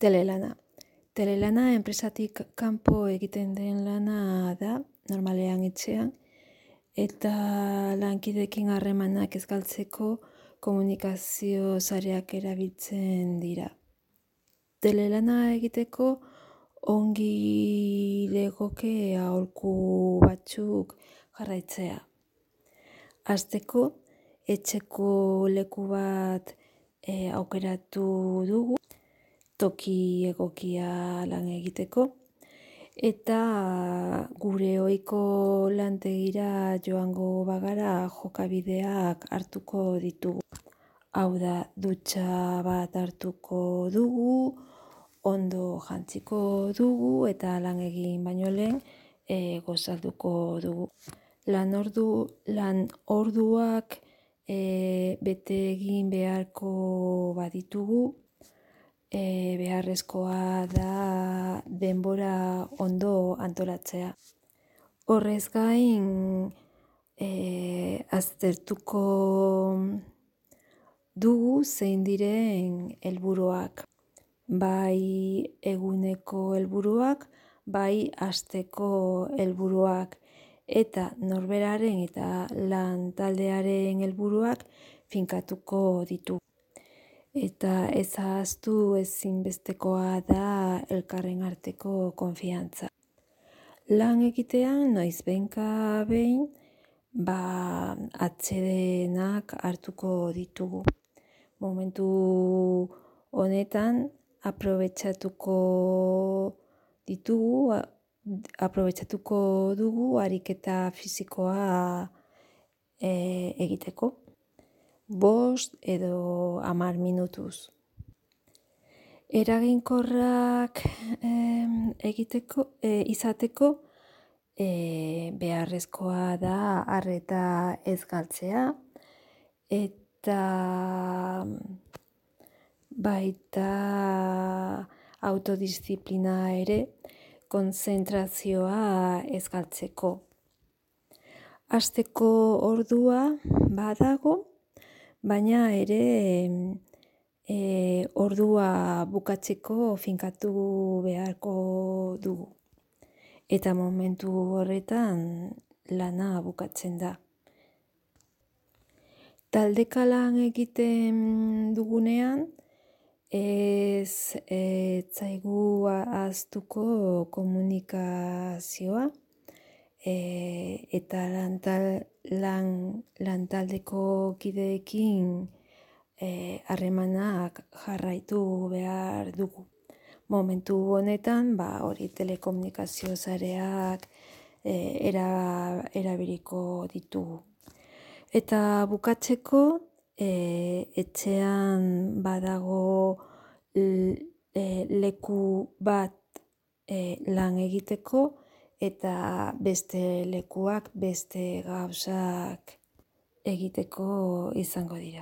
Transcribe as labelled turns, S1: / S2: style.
S1: Telelana. Telelana enpresatik kanpo egiten den lana da, normalean etxean, eta lankideekin harremanak ez galtzeko komunikazio sareak erabiltzen dira. Telelana egiteko ongi legoke aholku batzuk jarraitzea. Hasteko, etxeko leku bat aukeratu dugu, toki egokia lan egiteko, eta gure ohiko lantegira joango bagara jokabideak hartuko ditugu. Hau da, dutxa bat hartuko dugu, ondo jantziko dugu eta lan egin baino lehen gozalduko dugu. Lan orduak bete egin beharko baditugu, beharrezkoa da denbora ondo antolatzea. Horrez gain, aztertuko dugu zein diren helburuak. Bai eguneko helburuak, bai asteko helburuak, eta norberaren eta lan taldearen helburuak finkatuko ditu. Eta ez ahaztu ezinbestekoa da elkarren arteko konfiantza. Lan egitean noizbehinka behin atsedenak hartuko ditugu. Momentu honetan aprobetxatuko dugu ariketa fisikoa egiteko. 5 edo 10 minutuz. Eraginkorrak izateko beharrezkoa da arreta ez galtzea, eta baita autodisziplina ere, konzentrazioa ez galtzeko. Hasteko ordua badago, baina ere ordua bukatzeko finkatu beharko dugu. Eta momentu horretan lana bukatzen da. Taldeka lan egiten dugunean, ez zaigu ahaztuko komunikazioa, eta lantaldeko kideekin harremanak jarraitu behar dugu. Momentu honetan, telekomunikazio sareak erabiliko ditugu. Eta bukatzeko, etxean badago leku bat lan egiteko, eta beste lekuak beste gauzak egiteko izango dira.